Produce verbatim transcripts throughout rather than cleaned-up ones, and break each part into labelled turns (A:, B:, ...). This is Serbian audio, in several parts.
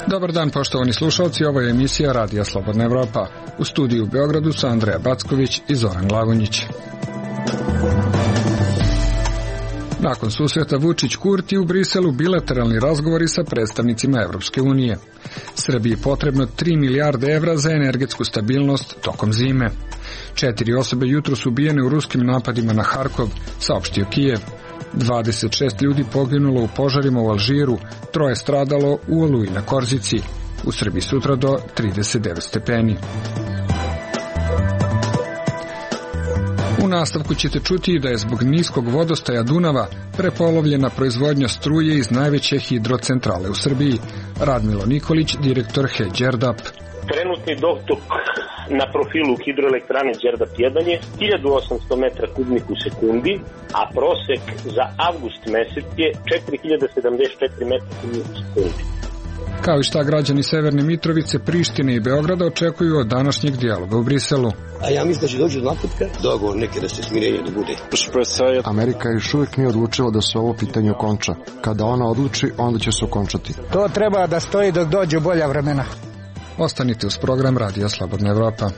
A: Dobar dan, poštovani slušalci, ovo je emisija Radija Slobodna Evropa. U studiju u Beogradu su Andreja Backović i Zoran Glavonjić. Nakon susreta Vučić-Kurti u Briselu bilateralni razgovori sa predstavnicima Evropske unije. Srbiji potrebno tri milijarde evra za energetsku stabilnost tokom zime. Četiri osobe jutro su ubijene u ruskim napadima na Harkov, saopštio Kijev. dvadeset šest ljudi poginulo u požarima u Alžiru, troje stradalo u Oluji na Korzici. U Srbiji sutra do trideset devet stepeni. U nastavku ćete čuti da je zbog niskog vodostaja Dunava prepolovljena proizvodnja struje iz najveće hidrocentrale u Srbiji. Radmilo Nikolić, direktor H E Đerdap.
B: Trenutni dotok na profilu hidroelektrane Đerdap jedan je hiljadu osamsto metra kubnih u sekundi, a prosek za avgust mesec je četiri hiljade sedamdeset četiri metra kubnih u sekundi.
A: Kao i šta građani Severne Mitrovice, Prištine i Beograda očekuju od današnjeg dijaloga u Briselu.
C: A ja mislim da će doći do napretka, dogovor neke da se smirenje da bude.
D: Amerika još uvijek nije odlučila da se ovo pitanje okonča. Kada ona odluči, onda će se okončati.
E: To treba da stoji dok dođu bolja vremena.
A: Ostanite uz program Radija Slobodna Evropa.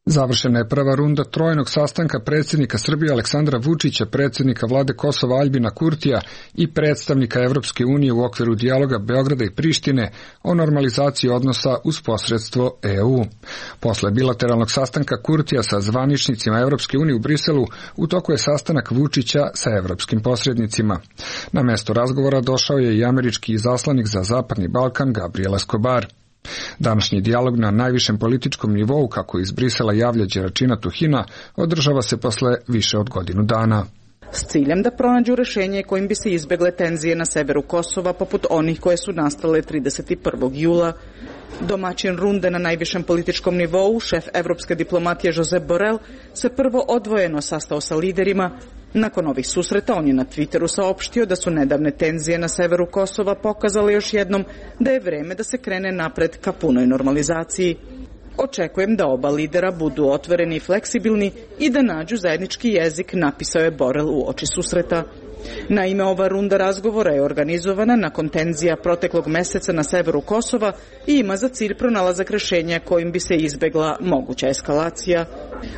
A: Završena je prva runda trojnog sastanka predsjednika Srbije Aleksandra Vučića, predsjednika vlade Kosova Aljbina Kurtija i predstavnika Evropske unije u okviru dijaloga Beograda i Prištine o normalizaciji odnosa uz posredstvo E U. Posle bilateralnog sastanka Kurtija sa zvaničnicima Evropske unije u Briselu, u toku je sastanak Vučića sa evropskim posrednicima. Na mesto razgovora došao je i američki izaslanik za Zapadni Balkan Gabriel Escobar. Današnji dijalog na najvišem političkom nivou, kako iz Brisela javlja Đeračina Tuhina, održava se posle više od godinu dana.
F: S ciljem da pronađu rešenje kojim bi se izbegle tenzije na severu Kosova, poput onih koje su nastale trideset prvog jula. Domaćin runde na najvišem političkom nivou, šef evropske diplomatije Josep Borrell, se prvo odvojeno sastao sa liderima. Nakon ovih susreta on je na Twitteru saopštio da su nedavne tenzije na severu Kosova pokazale još jednom da je vreme da se krene napred ka punoj normalizaciji. Očekujem da oba lidera budu otvoreni i fleksibilni i da nađu zajednički jezik, napisao je Borrell u oči susreta. Naime, ova runda razgovora je organizovana nakon tenzija proteklog meseca na severu Kosova i ima za cilj pronalazak rešenja kojim bi se izbegla moguća eskalacija.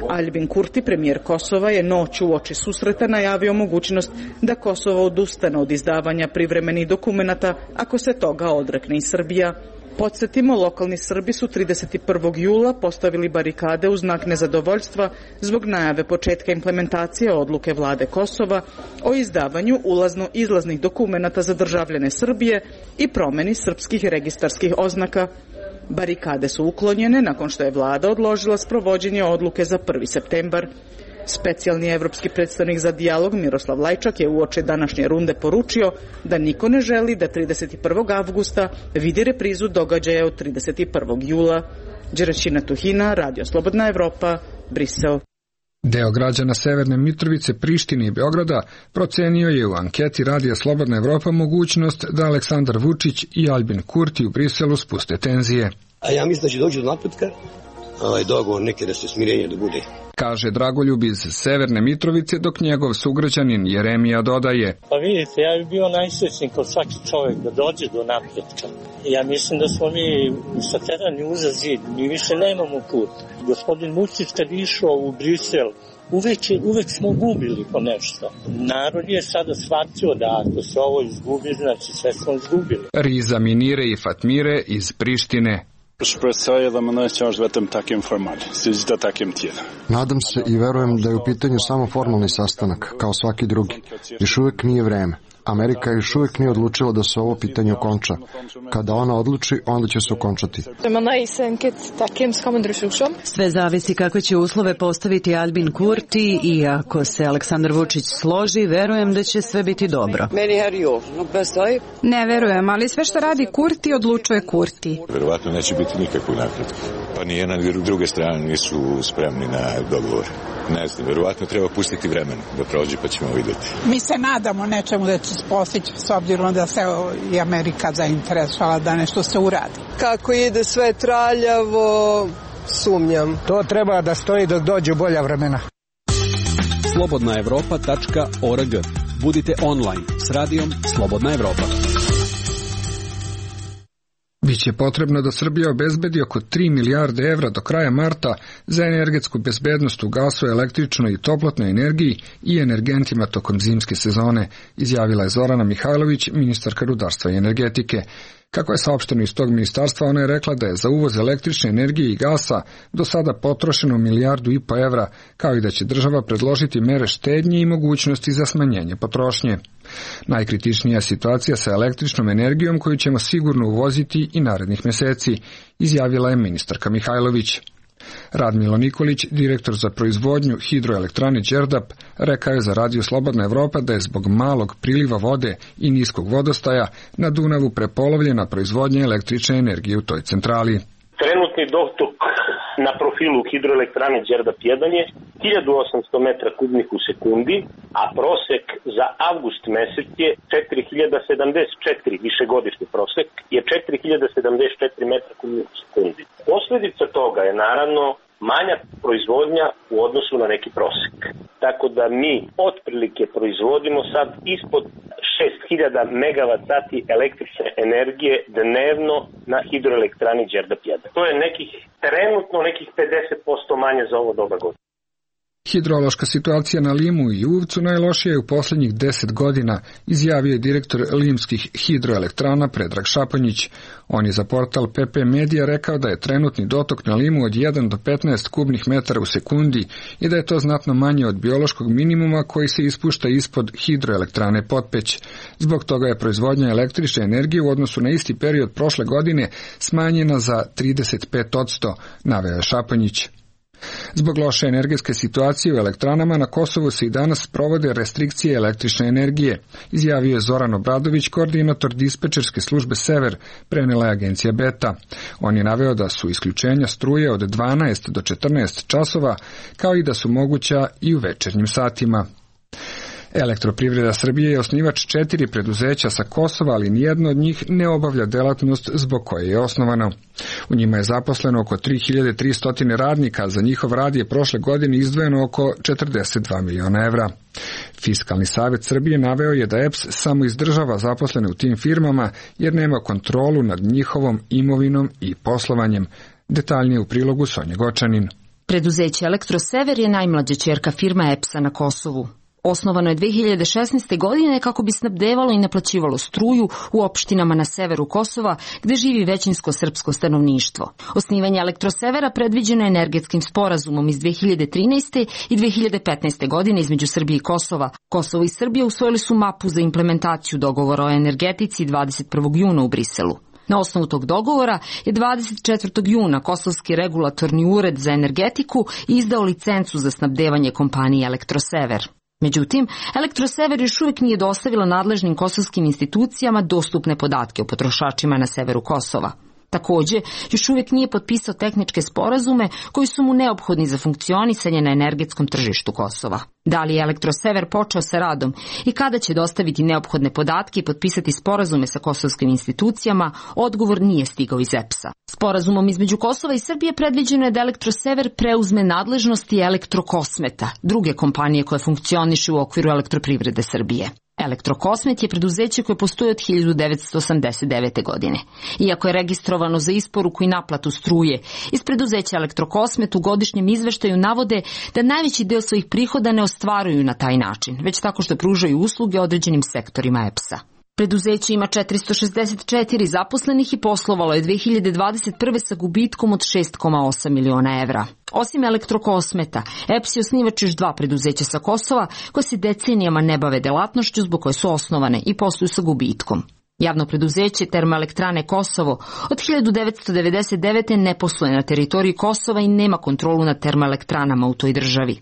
F: Aljbin Kurti, premijer Kosova, je noću u oči susreta najavio mogućnost da Kosovo odustane od izdavanja privremenih dokumenata ako se toga odrekne i Srbija. Podsjetimo, lokalni Srbi su trideset prvog jula postavili barikade u znak nezadovoljstva zbog najave početka implementacije odluke vlade Kosova o izdavanju ulazno-izlaznih dokumenata za državljane Srbije i promeni srpskih registarskih oznaka. Barikade su uklonjene nakon što je vlada odložila sprovođenje odluke za prvi septembar. Specijalni evropski predstavnik za dijalog Miroslav Lajčak je uoči današnje runde poručio da niko ne želi da trideset prvog avgusta vidi reprizu događaja od trideset prvog jula. Đeračina Tuhina, Radio Slobodna Evropa, Brisel.
A: Deo građana Severne Mitrovice, Prištine i Beograda procenio je u anketi Radija Slobodna Evropa mogućnost da Aleksandar Vučić i Aljbin Kurti u Briselu spuste tenzije.
C: A ja mislim da će doći do napretka, ovaj dogovor neke da se smirenje da bude.
A: Kaže Dragoljub iz Severne Mitrovice, dok njegov sugrađanin Jeremija dodaje.
G: Pa vidite, ja bih bio najsrećniji kao svaki čovjek da dođe do napretka. Ja mislim da smo mi saterani uza zid, mi više nemamo put. Gospodin Vučić kad išao u Brisel, uvek, uvek smo gubili po nešto. Narod je sada shvatio da ako se ovo izgubi, znači sve smo izgubili.
A: Riza Minire i Fatmire iz Prištine.
D: Nadam se i verujem da je u pitanju samo formalni sastanak, kao svaki drugi. Još uvijek nije vreme. Amerika još uvijek nije odlučila da se ovo pitanje okonča. Kada ona odluči, onda će se okončati.
H: Sve zavisi kako će uslove postaviti Aljbin Kurti i ako se Aleksandar Vučić složi, verujem da će sve biti dobro.
I: Ne verujem, ali sve što radi Kurti odlučuje Kurti.
J: Verovatno neće biti nikakvog napretka.
I: Pa nijedna ni druge strane nisu spremni na dogovor. Ne znam, verovatno treba pustiti vremena da prođe pa ćemo vidjeti.
J: Mi se nadamo nečemu da će se postići s obzirom da se i Amerika zainteresovala da nešto se uradi.
K: Kako ide sve traljavo, sumnjam.
E: To treba da stoji dok dođu bolja vremena.
L: slobodna evropa tačka org. Budite online s radijom Slobodna Evropa.
A: Biće potrebno da Srbija obezbedi oko tri milijarde evra do kraja marta za energetsku bezbednost u gasu, električnoj i toplotnoj energiji i energentima tokom zimske sezone, izjavila je Zorana Mihajlović, ministarka rudarstva i energetike. Kako je saopšteno iz tog ministarstva, ona je rekla da je za uvoz električne energije i gasa do sada potrošeno milijardu i po evra, kao i da će država predložiti mere štednje i mogućnosti za smanjenje potrošnje. Najkritičnija je situacija sa električnom energijom koju ćemo sigurno uvoziti i narednih meseci, izjavila je ministarka Mihajlović. Radmilo Nikolić, direktor za proizvodnju hidroelektrane Đerdap, rekao je za Radio Slobodna Evropa da je zbog malog priliva vode i niskog vodostaja na Dunavu prepolovljena proizvodnja električne energije u toj centrali.
B: Trenutni dotok na profilu hidroelektrane Đerdap jedan je hiljadu osamsto metra kubnih u sekundi, a prosek za avgust mesec je četiri hiljade sedamdeset četiri, višegodišnji prosek je četiri hiljade sedamdeset četiri metra kubnih u sekundi. Posledica toga je naravno manja proizvodnja u odnosu na neki prosek. Tako da mi otprilike proizvodimo sad ispod šest hiljada megavat sati električne energije dnevno na hidroelektrani Đerdap jedan. To je nekih, trenutno nekih pedeset posto manje za ovo doba godine.
A: Hidrološka situacija na Limu i Uvcu najlošija je u posljednjih deset godina, izjavio je direktor limskih hidroelektrana Predrag Šaponjić. On je za portal P P Media rekao da je trenutni dotok na Limu od jedan do petnaest kubnih metara u sekundi i da je to znatno manje od biološkog minimuma koji se ispušta ispod hidroelektrane Potpeć. Zbog toga je proizvodnja električne energije u odnosu na isti period prošle godine smanjena za trideset pet posto, naveo je Šaponjić. Zbog loše energetske situacije u elektranama na Kosovu se i danas provode restrikcije električne energije, izjavio je Zoran Obradović, koordinator dispečerske službe Sever, prenela je agencija Beta. On je naveo da su isključenja struje od dvanaest do četrnaest časova, kao i da su moguća i u večernjim satima. Elektroprivreda Srbije je osnivač četiri preduzeća sa Kosova, ali nijedno od njih ne obavlja delatnost zbog koje je osnovano. U njima je zaposleno oko tri hiljade tristo radnika, za njihov rad je prošle godine izdvojeno oko četrdeset dva miliona evra. Fiskalni savjet Srbije naveo je da E P S samo izdržava zaposlene u tim firmama jer nema kontrolu nad njihovom imovinom i poslovanjem. Detaljnije u prilogu Sonja Gočanin.
M: Preduzeće Elektrosever je najmlađa ćerka firma E P S-a na Kosovu. Osnovano je dve hiljade šesnaeste. godine kako bi snabdevalo i naplaćivalo struju u opštinama na severu Kosova, gde živi većinsko srpsko stanovništvo. Osnivanje Elektrosevera predviđeno je energetskim sporazumom iz dve hiljade trinaeste. i dve hiljade petnaeste. godine između Srbije i Kosova. Kosovo i Srbija usvojili su mapu za implementaciju dogovora o energetici dvadeset prvog juna u Briselu. Na osnovu tog dogovora je dvadeset četvrtog juna Kosovski regulatorni ured za energetiku izdao licencu za snabdevanje kompanije Elektrosever. Međutim, Elektrosever još uvijek nije dostavila nadležnim kosovskim institucijama dostupne podatke o potrošačima na severu Kosova. Također, još uvijek nije potpisao tehničke sporazume koji su mu neophodni za funkcionisanje na energetskom tržištu Kosova. Da li je Elektrosever počeo sa radom i kada će dostaviti neophodne podatke i potpisati sporazume sa kosovskim institucijama, odgovor nije stigao iz E P S-a. Sporazumom između Kosova i Srbije predviđeno je da Elektrosever preuzme nadležnosti Elektrokosmeta, druge kompanije koje funkcionišu u okviru Elektroprivrede Srbije. Elektrokosmet je preduzeće koje postoji od hiljadu devetsto osamdeset devete. godine. Iako je registrovano za isporuku i naplatu struje, iz preduzeća Elektrokosmet u godišnjem izveštaju navode da najveći deo svojih prihoda ne ostvaruju na taj način, već tako što pružaju usluge određenim sektorima E P S-a. Preduzeće ima četiristo šezdeset četiri zaposlenih i poslovalo je dve hiljade dvadeset prve. sa gubitkom od šest zarez osam miliona evra. Osim Elektrokosmeta, E P S je osnivač još dva preduzeća sa Kosova koje se decenijama ne bave delatnošću zbog koje su osnovane i posluju sa gubitkom. Javno preduzeće Termoelektrane Kosovo od hiljadu devetsto devedeset devete. ne posluje na teritoriji Kosova i nema kontrolu nad termoelektranama u toj državi.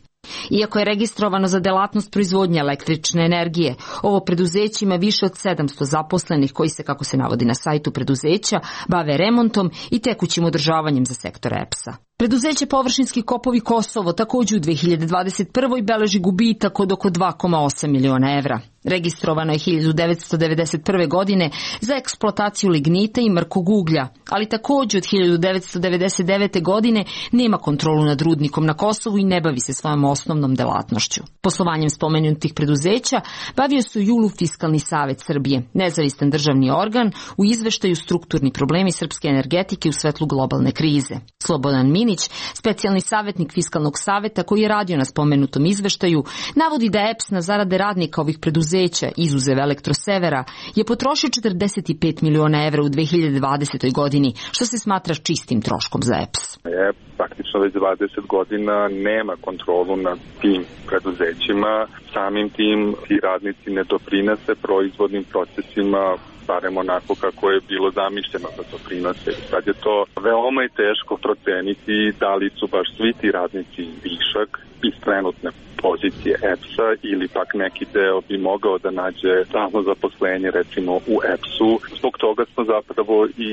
M: Iako je registrovano za delatnost proizvodnje električne energije, ovo preduzeće ima više od sedamsto zaposlenih koji se, kako se navodi na sajtu preduzeća, bave remontom i tekućim održavanjem za sektor E P S-a. Preduzeće Površinski kopovi Kosovo također u dve hiljade dvadeset prvoj beleži gubitak od oko dva zarez osam miliona evra. Registrovano je hiljadu devetsto devedeset prve. godine za eksploataciju lignita i mrkog uglja, ali također od hiljadu devetsto devedeset devete. godine nema kontrolu nad rudnikom na Kosovu i ne bavi se svojom osnovnom delatnošću. Poslovanjem spomenutih preduzeća bavio se u julu Fiskalni savet Srbije, nezavistan državni organ u izveštaju strukturni problemi srpske energetike u svetlu globalne krize. Slobodan Minić, specijalni savjetnik Fiskalnog saveta koji je radio na spomenutom izveštaju, navodi da E P S na zarade radnika ovih preduzeća, izuzev Elektrosevera, je potrošio četrdeset pet miliona evra u dve hiljade dvadesetoj. godini, što se smatra čistim troškom za E P S.
N: Je praktično već dvadeset godina nema kontrolu nad tim preduzećima, samim tim ti radnici ne doprinose proizvodnim procesima, barem onako kako je bilo zamišljeno da doprinose. Sad je to veoma i teško proceniti da li su baš svi ti radnici višak iz trenutne pozicije E P S-a ili pak neki deo bi mogao da nađe stalno zaposlenje recimo u E P S-u. Zbog toga smo zapravo i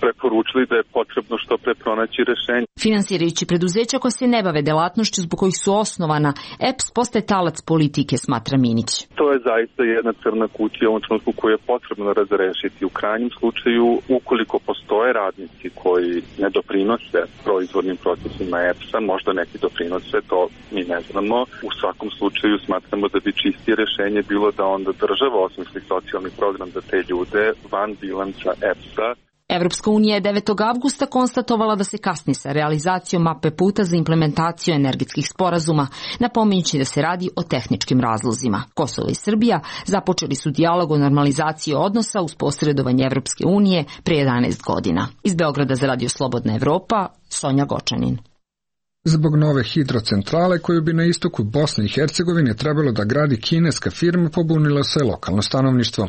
N: preporučili da je potrebno što pre pronaći rešenje.
M: Finansirajući preduzeća koja se ne bave delatnošću zbog kojih su osnovana, E P S postaje talac politike, smatra Minić.
N: To je zaista jedna crna kutija u ovom trenutku koju je potrebno razrešiti. U krajnjem slučaju, ukoliko postoje radnici koji ne doprinose proizvodnim procesima E P S-a, možda neki doprinose, to mi ne znamo. U svakom slučaju smatramo da bi čistije rešenje bilo da onda država osmisli socijalni program za te ljude van bilanca E P S-a.
M: Evropska unija je devetog avgusta konstatovala da se kasni sa realizacijom mape puta za implementaciju energetskih sporazuma, napominjući da se radi o tehničkim razlozima. Kosovo i Srbija započeli su dijalog o normalizaciji odnosa uz posredovanje Evropske unije pre jedanaest godina. Iz Beograda za Radio Slobodna Evropa, Sonja Gočanin.
A: Zbog nove hidrocentrale koju bi na istoku Bosne i Hercegovine trebalo da gradi kineska firma, pobunilo se lokalno stanovništvo.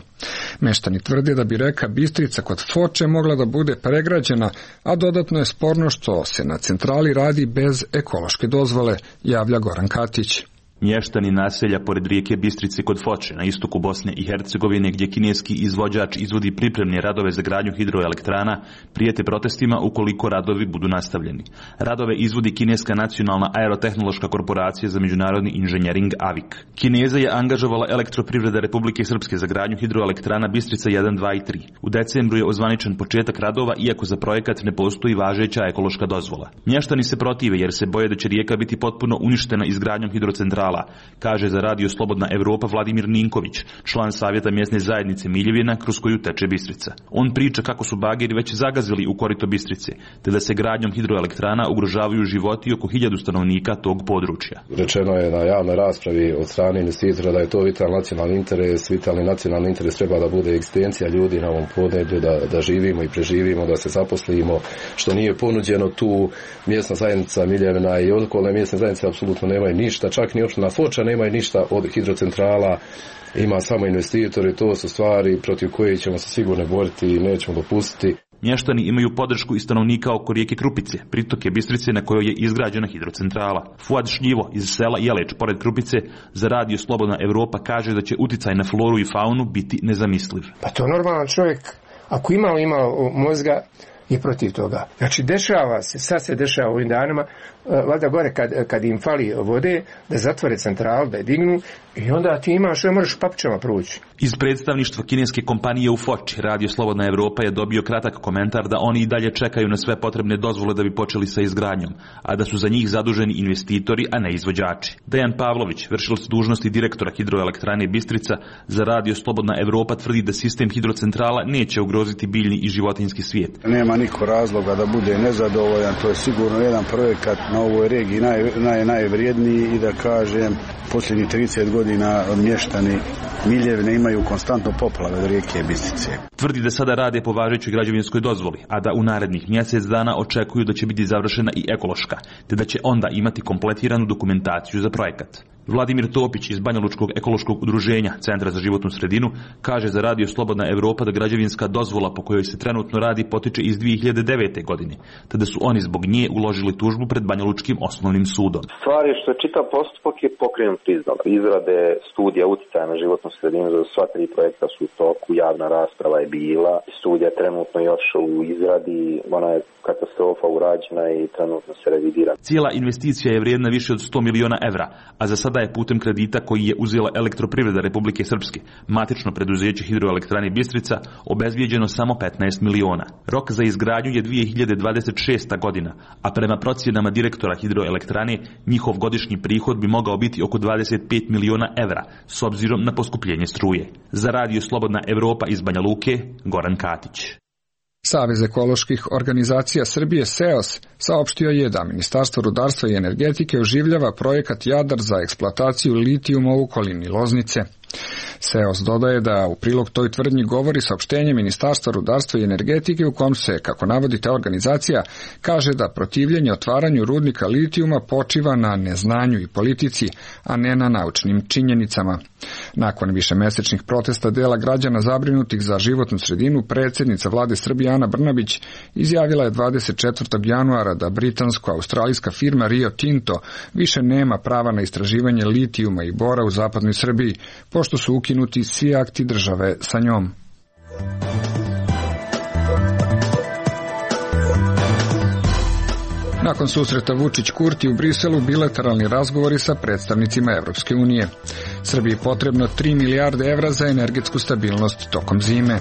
A: Meštani tvrde da bi reka Bistrica kod Foče mogla da bude pregrađena, a dodatno je sporno što se na centrali radi bez ekološke dozvole, javlja Goran Katić.
O: Mještani naselja pored rijeke Bistrice kod Foče na istoku Bosne i Hercegovine, gdje kineski izvođač izvodi pripremne radove za gradnju hidroelektrana, prijete protestima ukoliko radovi budu nastavljeni. Radove izvodi kineska nacionalna aerotehnološka korporacija za međunarodni inženjering A V I K. Kineza je angažovala Elektroprivreda Republike Srpske za gradnju hidroelektrana Bistrica jedan, dva i tri. U decembru je ozvaničen početak radova, iako za projekat ne postoji važeća ekološka dozvola. Mještani se protive jer se boje da će rijeka biti potpuno uništena izgradnjom hidrocentrala, kaže za Radio Slobodna Evropa Vladimir Ninković, član savjeta mjesne zajednice Miljevina kroz koju teče Bistrica. On priča kako su bageri već zagazili u korito Bistrice, te da se gradnjom hidroelektrana ugrožavaju životi oko hiljadu stanovnika tog područja.
P: Rečeno je na javnoj raspravi od strane investitora da je to vitalni nacionalni interes. Vitalni nacionalni interes treba da bude egzistencija ljudi na ovom podneblju, da, da živimo i preživimo, da se zaposlimo, što nije ponuđeno tu. Mjesna zajednica Miljevina i okolne mjesne zajednice apsolutno nemaju ništa, čak ni opština Foča nemaju ništa od hidrocentrala, ima samo investitori, to su stvari protiv koje ćemo se sigurno boriti i nećemo dopustiti.
O: Mještani imaju podršku i stanovnika oko rijeke Krupice, pritoke Bistrice na kojoj je izgrađena hidrocentrala. Fuad Šljivo iz sela Jeleć pored Krupice za Radio Slobodna Evropa kaže da će uticaj na floru i faunu biti nezamisliv.
Q: Pa to normalan čovjek, ako imao imao mozga, je protiv toga. Znači, dešava se, sad se dešava u ovim danima, valjda gore kad, kad im fali vode, da zatvore centralu, da je dignu i onda ti imaš, ne možeš papićama proći.
O: Iz predstavništva kineske kompanije u Foči, Radio Slobodna Evropa je dobio kratak komentar da oni i dalje čekaju na sve potrebne dozvole da bi počeli sa izgradnjom, a da su za njih zaduženi investitori, a ne izvođači. Dejan Pavlović, vršilac dužnosti direktora hidroelektrane Bistrica, za Radio Slobodna Evropa tvrdi da sistem hidrocentrala neće ugroziti biljni i životinjski svijet.
R: Nema niko razloga da bude nezadovoljan, to je sigurno jedan projekat na ovoj regiji naj, naj, najvrijedniji i da kažem, posljednjih trideset godina mještani Miljevine imaju konstantno poplave od rijeke Bistrice.
O: Tvrdi da sada rade po važećoj građevinskoj dozvoli, a da u narednih mjesec dana očekuju da će biti završena i ekološka, te da će onda imati kompletiranu dokumentaciju za projekat. Vladimir Topić iz Banjalučkog ekološkog udruženja Centra za životnu sredinu kaže za radio Slobodna Evropa da građevinska dozvola po kojoj se trenutno radi potiče iz dvije hiljade devete. godine, tada su oni zbog nje uložili tužbu pred Banjalučkim osnovnim sudom.
S: Stvar je što je čitav postupak je pokrenut izdala. Izrade studija uticaja na životnu sredinu za sva tri projekta su u toku, javna rasprava je bila, studija trenutno još u izradi, ona je katastrofa urađena i trenutno se revidira.
O: Cijela investicija je vrijedna više od sto miliona evra, a za sada je putem kredita koji je uzela Elektroprivreda Republike Srpske, matično preduzeće Hidroelektrane Bistrica, obezbijeđeno samo petnaest miliona. Rok za izgradnju je dvije hiljade dvadeset šesta. godina, a prema procjenama direktora Hidroelektrane, njihov godišnji prihod bi mogao biti oko dvadeset pet miliona evra, s obzirom na poskupljenje struje. Za radio Slobodna Evropa iz Banja Luke, Goran Katić.
A: Savez ekoloških organizacija Srbije SEOS saopštio je da Ministarstvo rudarstva i energetike oživljava projekat Jadar za eksploataciju litijuma u okolini Loznice. SEOS dodaje da u prilog toj tvrdnji govori saopštenje Ministarstva rudarstva i energetike u kom se, kako navodi ta organizacija, kaže da protivljenje otvaranju rudnika litijuma počiva na neznanju i politici, a ne na naučnim činjenicama. Nakon višemesečnih protesta dela građana zabrinutih za životnu sredinu, predsjednica vlade Srbije Ana Brnabić izjavila je dvadeset četvrtog januara da britansko-australijska firma Rio Tinto više nema prava na istraživanje litijuma i bora u zapadnoj Srbiji, pošto su ukinuti svi akti države sa njom. Nakon susreta Vučić-Kurti u Briselu, bilateralni razgovori sa predstavnicima Evropske unije. Srbiji je potrebno tri milijarde evra za energetsku stabilnost tokom zime.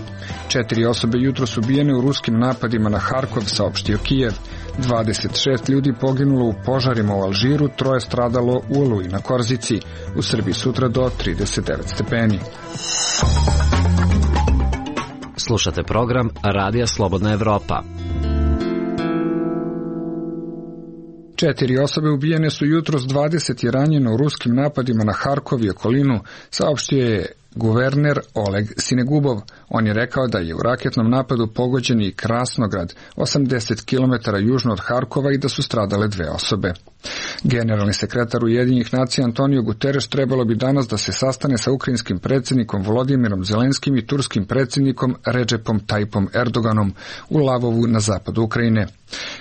A: Četiri osobe jutro su ubijene u ruskim napadima na Harkov, saopštio Kijev. dvadeset šest ljudi poginulo u požarima u Alžiru, troje stradalo u Oluji na Korzici. U Srbiji sutra do trideset devet stepeni.
T: Slušate program Radija Slobodna Evropa.
A: Četiri osobe ubijene su jutros, dvadeset je ranjeno u ruskim napadima na Harkov i okolinu, saopštio je guverner Oleg Sinegubov. On je rekao da je u raketnom napadu pogođen i Krasnograd, osamdeset kilometara južno od Harkova, i da su stradale dve osobe. Generalni sekretar Ujedinjenih nacija Antonio Guterres trebalo bi danas da se sastane sa ukrajinskim predsjednikom Volodimirom Zelenskim i turskim predsjednikom Redžepom Tajipom Erdoganom u Lavovu na zapadu Ukrajine.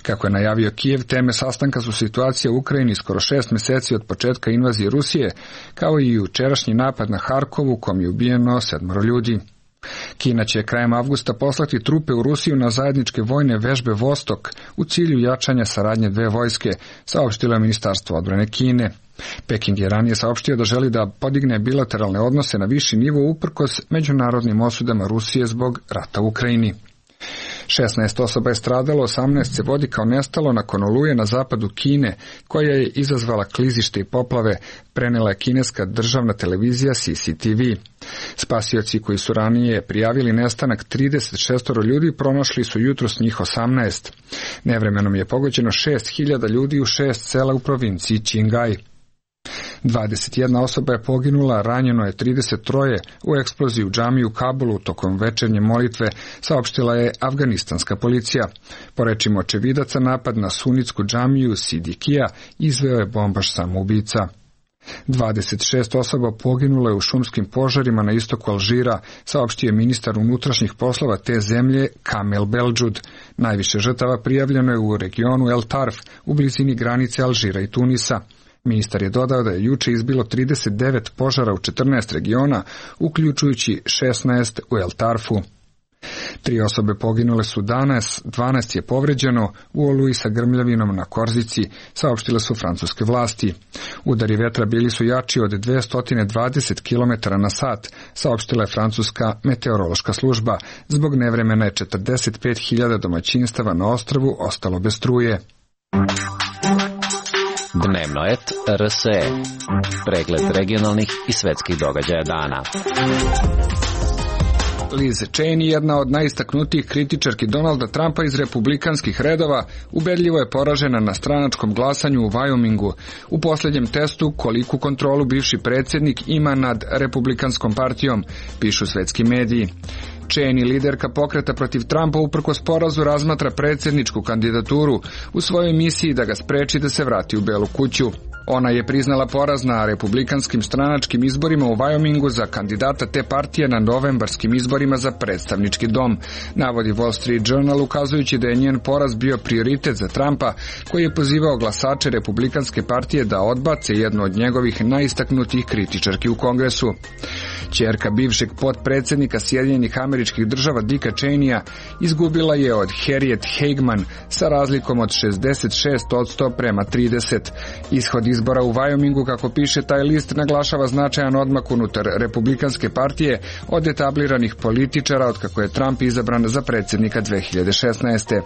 A: Kako je najavio Kijev, teme sastanka su situacija u Ukrajini skoro šest mjeseci od početka invazije Rusije, kao i jučerašnji napad na Harkovu u kom je ubijeno sedmoro ljudi. Kina će krajem avgusta poslati trupe u Rusiju na zajedničke vojne vežbe Vostok u cilju jačanja saradnje dve vojske, saopštilo je Ministarstvo odbrane Kine. Peking je ranije saopštio da želi da podigne bilateralne odnose na viši nivo uprkos međunarodnim osudama Rusije zbog rata u Ukrajini. šesnaest osoba je stradalo, osamnaest se vodi kao nestalo nakon oluje na zapadu Kine, koja je izazvala klizište i poplave, prenela je kineska državna televizija C C T V. Spasioci koji su ranije prijavili nestanak trideset šest ljudi pronašli su jutros njih osamnaest. Nevremenom je pogođeno šest hiljada ljudi u šest sela u provinciji Qinghai. dvadeset jedna osoba je poginula, ranjeno je trideset tri u eksploziji u džamiji u Kabulu tokom večernje molitve, saopštila je afganistanska policija. Po rečima očevidaca, napad na sunitsku džamiju Sidikija izveo je bombaš samoubica. dvadeset šest osoba poginulo je u šumskim požarima na istoku Alžira, saopštio je ministar unutrašnjih poslova te zemlje Kamel Beldžud. Najviše žrtava prijavljeno je u regionu El Tarf, u blizini granice Alžira i Tunisa. Ministar je dodao da je juče izbilo trideset devet požara u četrnaest regiona, uključujući šesnaest u El Tarfu. Tri osobe poginule su danas, dvanaest je povređeno u oluji sa grmljavinom na Korzici, saopštile su francuske vlasti. Udari vetra bili su jači od dvesta dvadeset kilometara na sat, saopštila je francuska meteorološka služba. Zbog nevremena je četrdeset pet hiljada domaćinstava na ostrvu ostalo bez struje.
T: Dnevno et R S E. Pregled regionalnih i svetskih događaja dana.
A: Liz Cheney, jedna od najistaknutijih kritičarki Donalda Trumpa iz republikanskih redova, ubedljivo je poražena na stranačkom glasanju u Wyomingu u posljednjem testu koliku kontrolu bivši predsjednik ima nad republikanskom partijom, pišu svetski mediji. Cheney, liderka pokreta protiv Trumpa, uprkos porazu razmatra predsjedničku kandidaturu u svojoj misiji da ga spreči da se vrati u Belu kuću. Ona je priznala poraz na republikanskim stranačkim izborima u Wyomingu za kandidata te partije na novembarskim izborima za predstavnički dom, navodi Wall Street Journal, ukazujući da je njen poraz bio prioritet za Trumpa, koji je pozivao glasače republikanske partije da odbace jednu od njegovih najistaknutijih kritičarki u Kongresu. Ćerka bivšeg potpredsjednika Sjedinjenih Američkih Država Dicka Cheneya izgubila je od Harriet Hageman sa razlikom od šezdeset šest posto prema trideset. Ishod izbora u Wyomingu, kako piše taj list, naglašava značajan odmak unutar republikanske partije od etabliranih političara od kako je Trump izabran za predsjednika dve hiljade šesnaeste.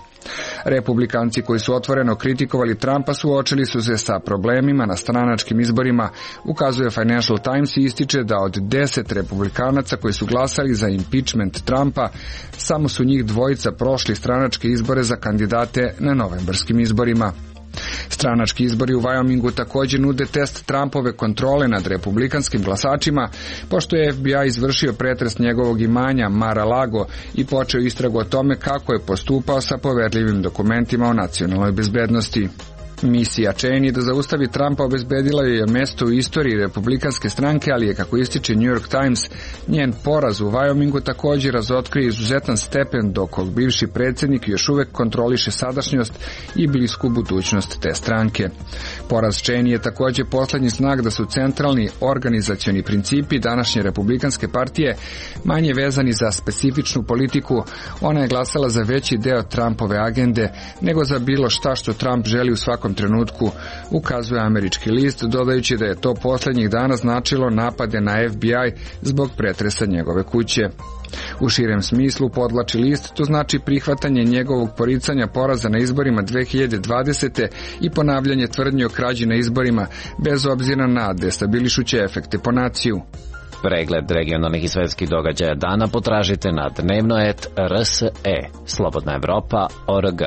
A: Republikanci koji su otvoreno kritikovali Trumpa suočili su se sa problemima na stranačkim izborima, ukazuje Financial Times i ističe da od deset republikanaca koji su glasali za impeachment Trumpa, samo su njih dvojica prošli stranačke izbore za kandidate na novembarskim izborima. Stranački izbori u Wyomingu također nude test Trumpove kontrole nad republikanskim glasačima, pošto je F B I izvršio pretres njegovog imanja Mar-a-Lago i počeo istragu o tome kako je postupao sa poverljivim dokumentima o nacionalnoj bezbednosti. Misija Cheney da zaustavi Trumpa obezbedila je mesto u istoriji republikanske stranke, ali je, kako ističe New York Times, njen poraz u Wyomingu također razotkrio izuzetan stepen dok bivši predsjednik još uvek kontroliše sadašnjost i blisku budućnost te stranke. Poraz Cheney je također posljednji znak da su centralni organizacioni principi današnje republikanske partije manje vezani za specifičnu politiku. Ona je glasala za veći deo Trumpove agende nego za bilo šta što Trump želi u svakom trenutku, ukazuje američki list, dodajući da je to posljednjih dana značilo napade na F B I zbog pretresa njegove kuće. U širem smislu, podvlači list, to znači prihvatanje njegovog poricanja poraza na izborima dve hiljade dvadesete i ponavljanje tvrdnje o krađi na izborima, bez obzira na destabilišuće efekte po naciju.
T: Pregled regionalnih i svetskih događaja dana potražite na dnevnoet R S E, Slobodna Evropa, O R G.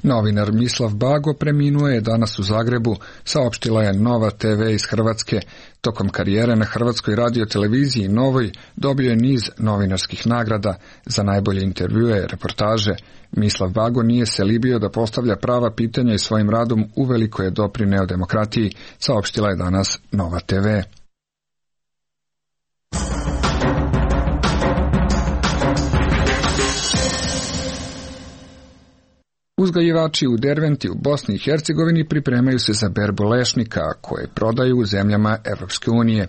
A: Novinar Mislav Bago preminuo je danas u Zagrebu, saopštila je Nova T V iz Hrvatske. Tokom karijere na Hrvatskoj radioteleviziji Novoj dobio je niz novinarskih nagrada za najbolje intervjue i reportaže. Mislav Bago nije se libio da postavlja prava pitanja i svojim radom uveliko je doprineo demokratiji, saopštila je danas Nova T V. Uzgajivači u Derventi u Bosni i Hercegovini pripremaju se za berbu lešnika koje prodaju u zemljama Evropske unije.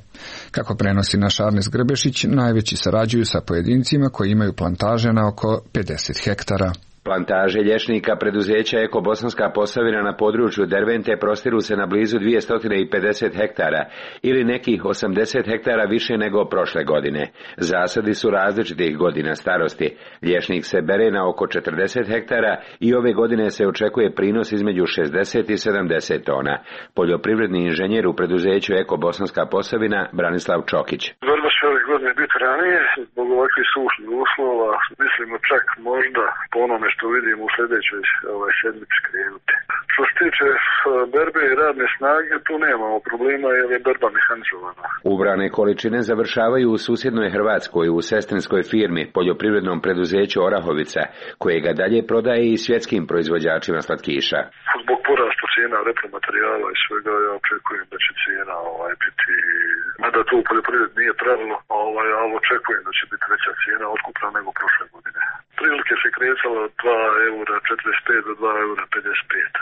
A: Kako prenosi naš Arnes Grbešić, najveći sarađuju sa pojedincima koji imaju plantaže na oko pedeset hektara.
U: Plantaže lješnika preduzeća Eko Bosanska Posavina na području Dervente prostiru se na blizu dvjesto pedeset hektara ili nekih osamdeset hektara više nego prošle godine. Zasadi su različitih godina starosti. Lješnik se bere na oko četrdeset hektara i ove godine se očekuje prinos između šezdeset i sedamdeset tona. Poljoprivredni inženjer u preduzeću Eko Bosanska Posavina Branislav Čokić.
V: Borba će ove godine biti ranije zbog ovakvih sušnih uslova. Mislimo čak možda po onome što vidimo u sljedećoj ovaj, sedmici krenuti. Što se tiče berbe i radne snage, tu nemamo problema jer je berba mehanizovana.
U: Ubrane količine završavaju u susjednoj Hrvatskoj u sestrinskoj firmi, poljoprivrednom preduzeću Orahovica, koje ga dalje prodaje i svjetskim proizvođačima slatkiša.
V: Zbog porasta cijena repromaterijala i svega ja očekujem da će cijena ovaj, biti, mada to u poljoprivredi nije pravilo, ovaj, ali očekujem da će biti veća cijena otkupna nego prošle godine. Prilike se kretala od dva eura četrdeset pet do dva eura pedeset pet.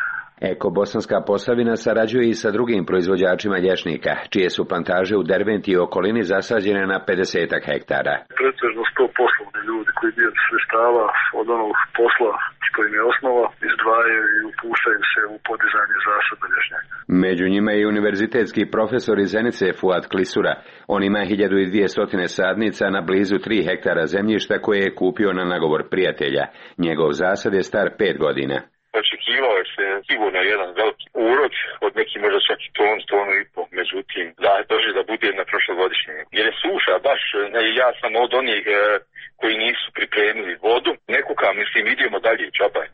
U: Eko Bosanska Posavina sarađuje i sa drugim proizvođačima lješnika, čije su plantaže u Derventi i okolini zasađene na pedeset hektara.
V: Pretežno sto poslovni ljudi koji dio sredstava od onog posla što im je osnova izdvajaju i upuštaju se u podizanje zasada lješnjaka.
U: Među njima je i univerzitetski profesor iz Zenice Fuad Klisura. On ima hiljadu dvjesto sadnica na blizu tri hektara zemljišta koje je kupio na nagovor prijatelja. Njegov zasad je star pet godina.
V: Očekivao je se sigurno jedan veliki urod od neki možda čak i ton, tonu i po, međutim da drži da bude na prošlogodišnjem. Jer je suša baš, ne, ja sam od onih e, koji nisu pripremili vodu, ne kuka, mislim, idemo dalje, čabaj.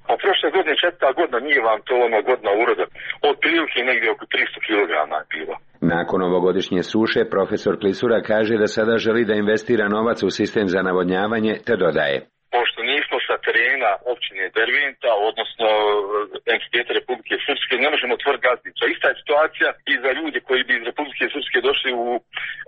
V: A prošle godine, četvrta godina, nije vam to ono godina uroda, od prilike negdje oko tristo kilograma je bilo.
U: Nakon ovogodišnje suše, profesor Klisura kaže da sada želi da investira novac u sistem za navodnjavanje, te dodaje.
V: Pošto nismo sa terena imena općine Derventa, odnosno entiteta Republike Srpske, ne možemo tvrditi gazdinstva. Ista je situacija i za ljude koji bi iz Republike Srpske došli u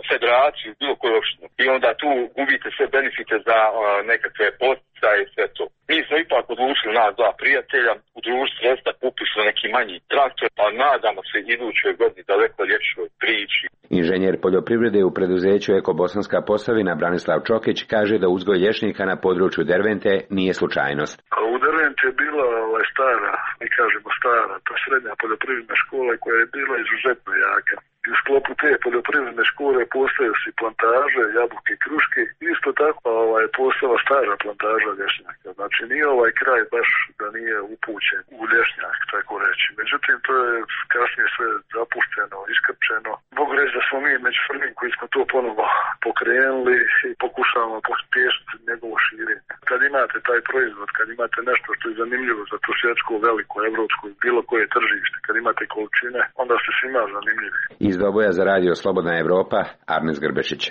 V: federaciju, bilo koju opštinu. I onda tu gubite sve benefite za uh, nekakve poticaje i sve to. Mi smo ipak odlučili, nas dva prijatelja, u društvu sredstva kupili neki manji traktor, pa nadamo se idućoj godini daleko ljepšoj priči.
U: Inženjer poljoprivrede u preduzeću Eko Bosanska Posavina Branislav Čokić kaže da uzgoj lješnika na području Dervente nije slučajnost.
C: U Derventi je bila ovaj, stara, mi kažemo stara, ta srednja poljoprivredna škola koja je bila izuzetno jaka. I u sklopu te poljoprivredne škole postoje si plantaže, jabuke i kruške. Isto tako ovaj, postala stara plantaža lješnjaka. Znači nije ovaj kraj baš da nije upućen u lješnjak, tako reći. Međutim, to je kasnije sve zapušteno, iskrčeno. Mogu reći da smo mi među prvim koji smo to ponovo pokrenuli i pokušavamo pospješiti njegovo širenje. Kad imate taj proizvod, kad imate nešto što je zanimljivo za to svjetsko, veliko, evropsko, bilo koje tržište, kad imate količine, onda ste svima zanimljivi.
U: Iz Doboja za radio Slobodna Evropa, Arnes Grbešić.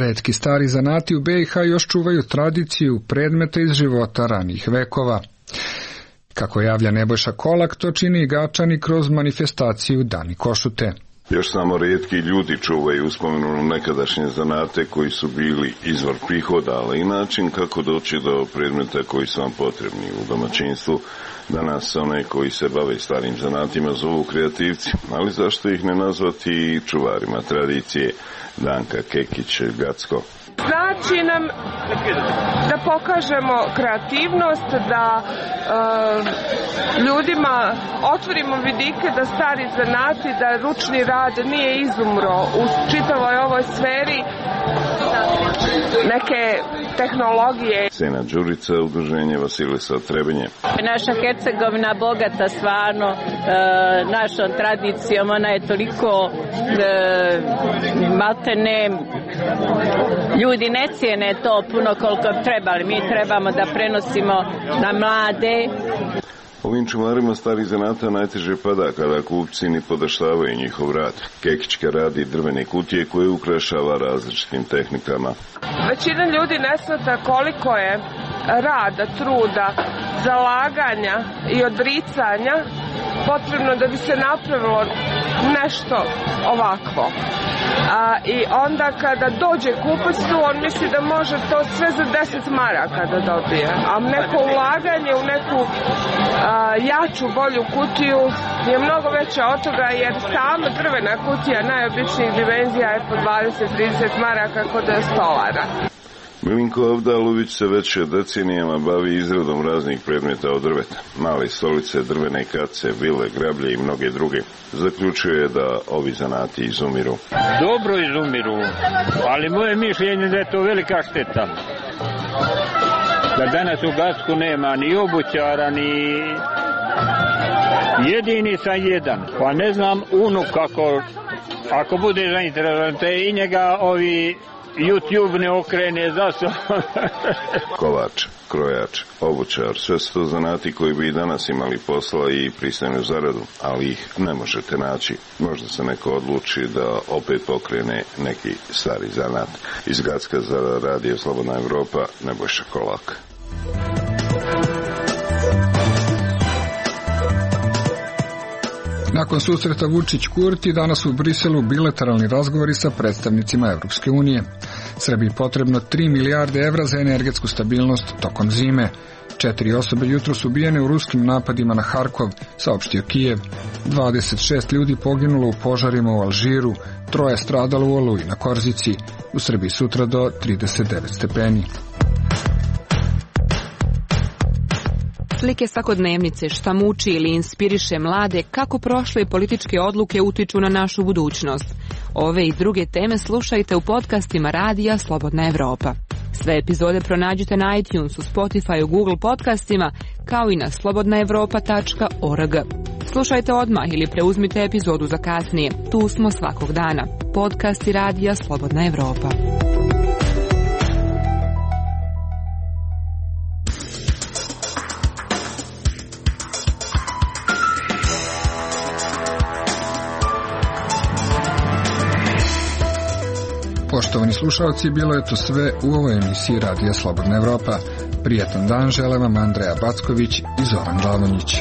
A: Retki stari zanati u B i H još čuvaju tradiciju predmeta iz života ranijih vekova. Kako javlja Nebojša Kolak, to čini i Gačani kroz manifestaciju Dani Košute.
F: Još samo rijetki ljudi čuvaju uspomenu nekadašnje zanate koji su bili izvor prihoda, ali i način kako doći do predmeta koji su vam potrebni u domaćinstvu. Danas one koji se bave starim zanatima zovu kreativci, ali zašto ih ne nazvati čuvarima tradicije? Danka Kekić, Gacko.
W: Znači nam da pokažemo kreativnost, da e, ljudima otvorimo vidike da stari zanati, da ručni rad nije izumro u čitavoj ovoj sferi neke tehnologije.
F: Sena Đurica, udruženje Vasilisa Trebenje.
X: Naša Hercegovina bogata stvarno e, našom tradicijom, ona je toliko e, maltene, ljudi ne cijene to puno koliko trebali, mi trebamo da prenosimo na mlade.
F: Ovim čuvarima starih zanata najteže pada kada kupci ni podaštavaju njihov rad. Kekićka radi drvene kutije koje ukrašava različitim tehnikama.
W: Većina ljudi ne shvata koliko je rada, truda, zalaganja i odricanja potrebno da bi se napravilo nešto ovakvo. A, I onda kada dođe kupac tu, on misli da može to sve za deset maraka da dobije. A neko ulaganje u neku a, jaču, bolju kutiju je mnogo veća od toga, jer sama drvena kutija najobičnijih dimenzija je po dvadeset do trideset maraka kod stolara.
F: Milinko Avdalović se već decenijama bavi izradom raznih predmeta od drveta. Male stolice, drvene kace, vile, grablje i mnoge druge. Zaključuje da ovi zanati izumiru.
Y: Dobro izumiru, ali moje mišljenje da je to velika šteta. Da danas u Gacku nema ni obućara, ni jedini sam jedan. Pa ne znam unuk kako, ako bude zainteresovan, te i njega ovi YouTube ne okrene za so.
F: Kovač, krojač, obućar, sve su to zanati koji bi i danas imali posla i pristojnu zaradu, ali ih ne možete naći. Možda se neko odluči da opet pokrene neki stari zanat. Iz Gacka za radio Slobodna Evropa, Nebojša Kolak.
A: Nakon susreta Vučić-Kurti danas u Briselu bilateralni razgovori sa predstavnicima Evropske unije. Srbiji potrebno tri milijarde evra za energetsku stabilnost tokom zime. Četiri osobe jutro su ubijene u ruskim napadima na Harkov, saopštio Kijev. dvadeset šest ljudi poginulo u požarima u Alžiru, troje stradalo u Oluji na Korzici. U Srbiji sutra do trideset devet stepeni.
Z: Slike svakodnevnice, šta muči ili inspiriše mlade, kako prošle političke odluke utiču na našu budućnost. Ove i druge teme slušajte u podcastima Radija Slobodna Evropa. Sve epizode pronađite na iTunesu, Spotify, Google podcastima, kao i na slobodna evropa tačka org. Slušajte odmah ili preuzmite epizodu za kasnije. Tu smo svakog dana. Podcasti Radija Slobodna Evropa.
A: Poštovani slušalci, bilo je to sve u ovoj emisiji Radija Slobodna Evropa. Prijetan dan žele vam Andreja Backović i Zoran Glavonjić.